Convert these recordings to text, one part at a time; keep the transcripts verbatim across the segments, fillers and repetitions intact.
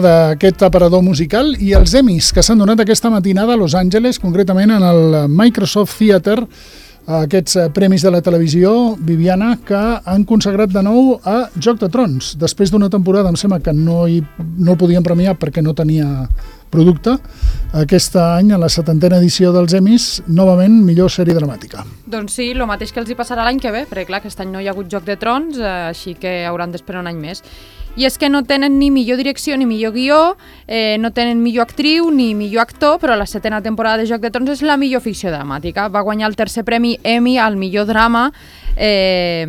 d'aquest aparador musical i els Emmys que s'han donat aquesta matinada a Los Angeles, concretament en el Microsoft Theater, aquests premis de la televisió, Viviana, que han consagrat de nou a Joc de Trons. Després d'una temporada, em sembla que no, hi, no el podien premiar perquè no tenia producte, aquest any, a la setantena edició dels Emmys, novament millor sèrie dramàtica. Doncs sí, el mateix que els hi passarà l'any que ve, perquè clar, aquest any no hi ha hagut Joc de Trons, així que hauran d'esperar un any més. I és que no tenen ni millor direcció ni millor guió, eh, no tenen millor actriu ni millor actor, però la setena temporada de Joc de Trons és la millor ficció dramàtica. Va guanyar el tercer premi Emmy al millor drama eh,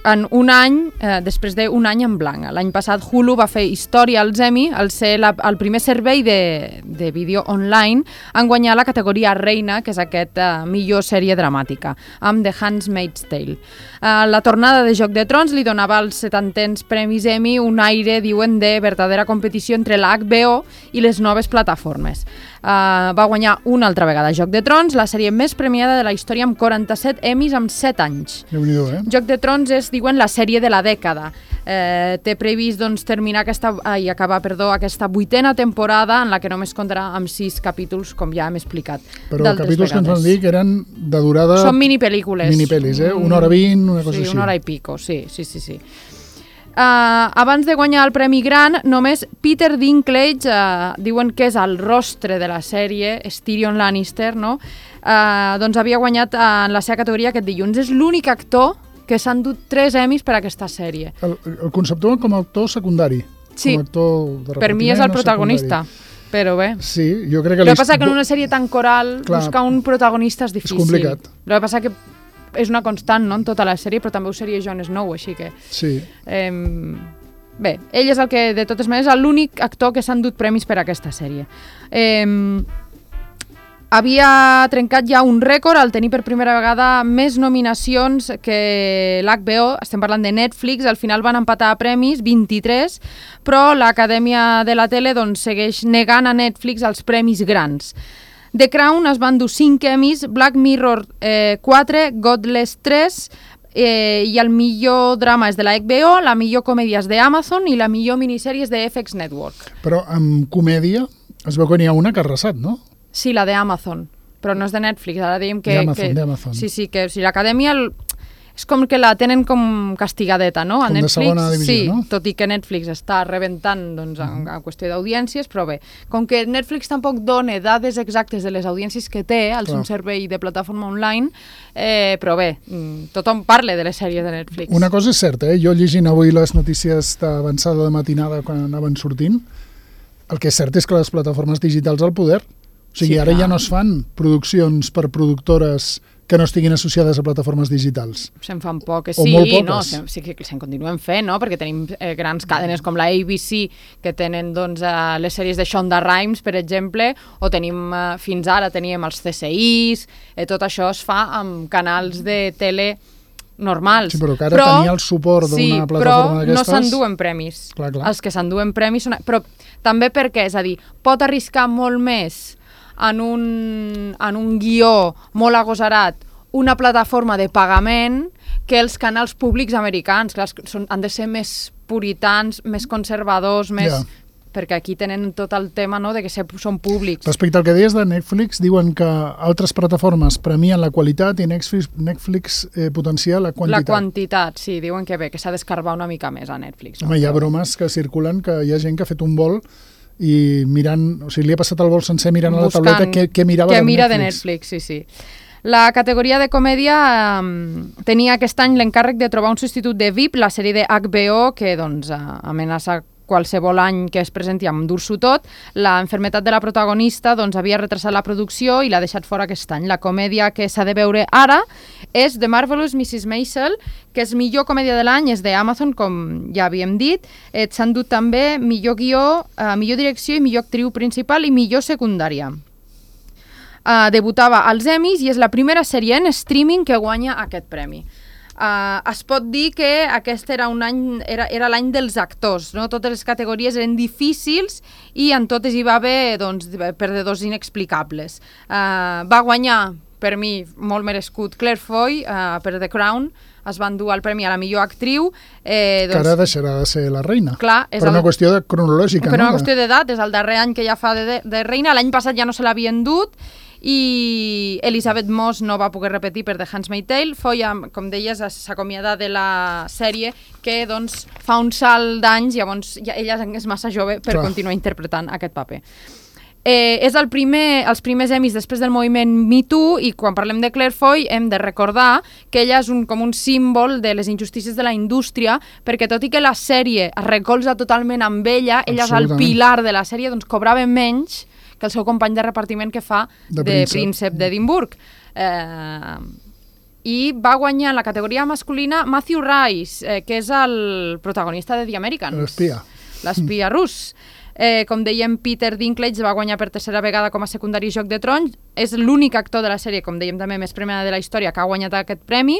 en un any, eh, després d'un any en blanc. L'any passat Hulu va fer història als Emmy al ser la, el primer servei de, de vídeo online en guanyar la categoria reina, que és aquest eh, millor sèrie dramàtica, amb The Handmaid's Tale. Uh, la tornada de Joc de Trons li donava als setantens premis Emmy un aire, diuen, de verdadera competició entre la H B O i les noves plataformes. Uh, va guanyar una altra vegada Joc de Trons, la sèrie més premiada de la història, amb quaranta-set Emmys en set anys. Déu-n'hi-do, eh? Joc de Trons és, diuen, la sèrie de la dècada. Eh, té previst doncs, terminar aquesta, ai, acabar perdó, aquesta vuitena temporada en la que només comptarà amb sis capítols, com ja hem explicat. Però capítols vegades. Que ens van dir que eren de durada... Són minipel·lícules. Minipel·lis, eh? Una hora vint, una cosa sí, així. Sí, una hora i pico, sí, sí, sí. sí. Uh, abans de guanyar el Premi Gran, només Peter Dinklage, uh, diuen que és el rostre de la sèrie, és Tyrion Lannister, no? Uh, doncs havia guanyat uh, en la seva categoria aquest dilluns. És l'únic actor que s'han dut tres Emmys per a aquesta sèrie. El, el conceptual com a actor secundari. Sí, com a actor de per mi és el protagonista. Secundari. Però bé. Sí, jo crec que... El que passa que en una sèrie tan coral, clar, buscar un protagonista és difícil. És complicat. El que passa que és una constant, no?, en tota la sèrie, però també ho seria Jon Snow, així que... Sí. Eh, bé, ell és el que, de totes maneres, és l'únic actor que s'han dut premis per a aquesta sèrie. Eh, havia trencat ja un rècord al tenir per primera vegada més nominacions que l'H B O, estem parlant de Netflix, al final van empatar a premis, vint-i-tres, però l'Acadèmia de la Tele doncs, segueix negant a Netflix els premis grans. The Crown es van dur cinc Emmys, Black Mirror eh, quatre, Godless tres, eh, i el millor drama és de la H B O, la millor comèdia és d'Amazon i la millor minissèrie és de F X Network. Però amb comèdia es veu que n'hi ha una que ha arrasat, no? Sí, la d'Amazon, però no és de Netflix, ara dèiem que... D'Amazon, d'Amazon. Sí, sí, que o sigui, l'Acadèmia... El... És com que la tenen com castigadeta, no? A com Netflix, de segona divisió, sí, no? Tot i que Netflix està rebentant doncs, en, en qüestió d'audiències, però bé, com que Netflix tampoc dona dades exactes de les audiències que té, al seu servei de plataforma online, eh, però bé, tothom parla de les sèries de Netflix. Una cosa és certa, eh? Jo llegint avui les notícies d'avançada de matinada quan anaven sortint, el que és cert és que les plataformes digitals al poder, o sigui, sí, ara clar. Ja no es fan produccions per productores que no estiguin associades a plataformes digitals. Se'n fan poques, o sí, molt poques. No, se, sí que se'n continuen fent, no? Perquè tenim eh, grans cadenes com la A B C, que tenen doncs, eh, les sèries de Shonda Rhimes, per exemple, o tenim, eh, fins ara teníem els C C Is, eh, tot això es fa amb canals de tele normals. Sí, però que ara però, tenia el suport d'una sí, plataforma d'aquestes... però no s'enduen premis. Clar, clar. Els que s'enduen premis són... Però també perquè, és a dir, pot arriscar molt més en un, en un guió molt agosarat una plataforma de pagament que els canals públics americans. Clar, són, han de ser més puritans, més conservadors, més... Ja. Perquè aquí tenen tot el tema, no?, de que són públics. Respecte al que deies de Netflix, diuen que altres plataformes premien la qualitat i Netflix, Netflix eh, potencia la quantitat. La quantitat, sí, diuen que bé, que s'ha d'escarbar una mica més a Netflix. No? Home, hi ha bromes que circulen, que hi ha gent que ha fet un vol i mirant, o sigui, li ha passat el vol sencer mirant a la tauleta què, què mirava què de mira Netflix. de Netflix, sí, sí. La categoria de comèdia eh, tenia aquest any l'encàrrec de trobar un substitut de V I P, la sèrie de H B O, que doncs, amenaça qualsevol any que es presenti amb dur-s'ho tot. La enfermetat de la protagonista doncs, havia retrasat la producció i l'ha deixat fora aquest any. La comèdia que s'ha de veure ara és The Marvelous missus Maisel, que és millor comèdia de l'any, és d'Amazon, com ja havíem dit. Eh, s'han dut també millor guió, eh, millor direcció i millor actriu principal i millor secundària. Uh, debutava als Emmys i és la primera sèrie en streaming que guanya aquest premi. Uh, es pot dir que aquest era un any, era, era l'any dels actors, no? Totes les categories eren difícils i en totes hi va haver doncs, perdedors inexplicables. Uh, va guanyar per mi, molt merescut, Claire Foy, uh, per The Crown, es van dur el premi a la millor actriu. Eh, doncs, que ara deixarà de ser la reina. Clar, és per el, una qüestió de cronològica. Per no? una qüestió d'edat, és el darrer any que ja fa de, de, de reina. L'any passat ja no se l'havien dut, i Elizabeth Moss no va poder repetir per The Handmaid's Tale. Foy, com deies, s'acomiada de la sèrie, que doncs, fa un salt d'anys, llavors ja, ella és massa jove per Clar. continuar interpretant aquest paper. Eh, és el primer, els primers Emmys després del moviment Me Too, i quan parlem de Claire Foy hem de recordar que ella és un, com un símbol de les injustícies de la indústria, perquè tot i que la sèrie es recolza totalment amb ella, ella és el pilar de la sèrie, doncs cobrava menys que el seu company de repartiment que fa de, de Príncep d'Edimburg. Eh, I va guanyar en la categoria masculina Matthew Rice, eh, que és el protagonista de The Americans. L'espia. L'espia rus. Eh, com dèiem, Peter Dinklage va guanyar per tercera vegada com a secundari Joc de Trons. És l'únic actor de la sèrie, com dèiem també, més premiada de la història, que ha guanyat aquest premi.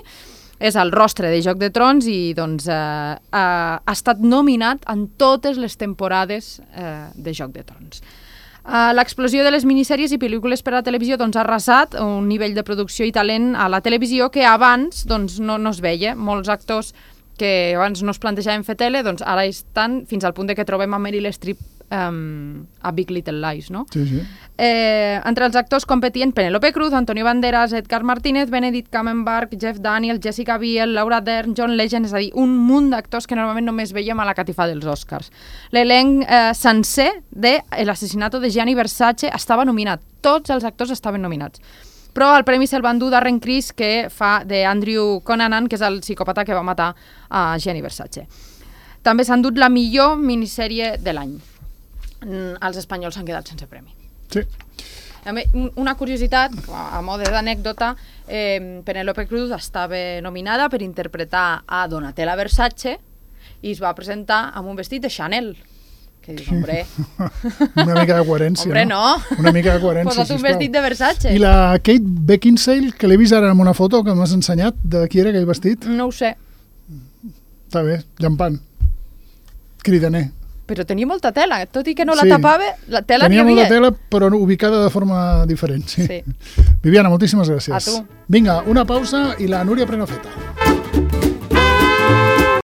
És el rostre de Joc de Trons i doncs, eh, eh, ha estat nominat en totes les temporades eh, de Joc de Trons. Uh, l'explosió de les minissèries i pel·lícules per a la televisió doncs, ha arrasat un nivell de producció i talent a la televisió que abans doncs, no, no es veia. Molts actors que abans no es plantejaven fer tele, doncs ara estan fins al punt de que trobem a Meryl Streep um, a Big Little Lies, no? Sí, sí. Eh, entre els actors competien Penélope Cruz, Antonio Banderas, Edgar Martínez, Benedict Cumberbatch, Jeff Daniels, Jessica Biel, Laura Dern, John Legend, és a dir, un munt d'actors que normalment només veiem a la catifa dels Oscars. L'elenc eh, sencer de L'assassinato de Gianni Versace estava nominat. Tots els actors estaven nominats. Però el premi se'l van dur Darren Criss, que fa de Andrew Cunanan, que és el psicòpata que va matar a Gianni Versace. També s'han dut la millor minissèrie de l'any. Els espanyols s'han quedat sense premi. Sí. Una curiositat, a mode d'anècdota, eh, Penélope Cruz estava nominada per interpretar a Donatella Versace i es va presentar amb un vestit de Chanel. Que dius, hombre... Una mica de coherència, hombre, no? no? Una mica de coherència, Posa't un vestit de Versace. I la Kate Beckinsale, que l'he vist ara en una foto que m'has ensenyat, de qui era aquell vestit? No ho sé. Està bé, llampant. Cridaner. Però tenia molta tela, tot i que no la sí. tapava, la tela tenia n'hi havia. molta tela, però ubicada de forma diferent. Sí. Sí. Viviana, moltíssimes gràcies. A tu. Vinga, una pausa i la Núria Prenafeta.